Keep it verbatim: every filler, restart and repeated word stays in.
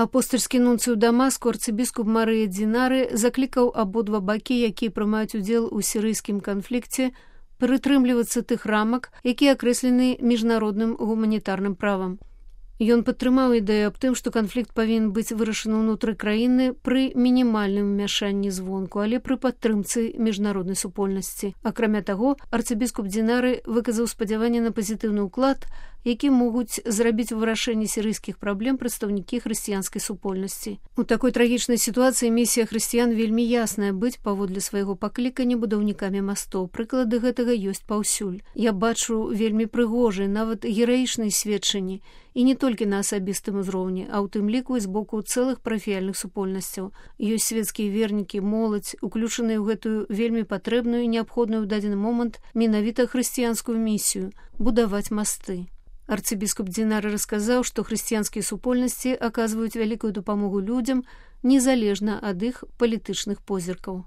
Апостальскі нунцый у Дамаску арцыбіскуп Марыя Дзінары заклікаў абодва бакі, якія прымаюць удзел у сірыйскім канфлікце, прытрымлівацца тых рамак, якія акрэслены міжнародным гуманітарным правам. Ён падтрымаў ідэю аб тым, што канфлікт павінен быць вырашаны ўнутры краіны пры мінімальным умяшанні звонку, але пры падтрымцы міжнароднай супольнасці. Акрамя таго, арцыбіскуп Дзінары выказаў спадзяванне на пазітыўны ўклад, які могуць зрабіць у вырашэнні сірыйскіх праблем прадстаўнікі хрысціянскай супольнасці. У такой трагічнай сітуацыі місія хрысціян вельмі ясная быць паводле свайго паклікання будаўнікамі мастоў. Прыклады гэтага ёсць паўсюль. Я бачу вельмі прыгожыя, нават гераічныя сведчанні, і не толькі на асабістым узроўні, а ў тым ліку і з боку цэлых парафіяльных супольнасцяў. Ёсць свецкія вернікі, моладзь, уключаныя ў гэтую вельмі патрэбную і неабходную ў дадзены момант менавіта хрысціянскую місію – будаваць масты. Арцыбіскуп Дзінары расказаў, што хрысціянскія супольнасці аказваюць вялікую дапамогу людзям, незалежна ад іх палітычных позіркаў.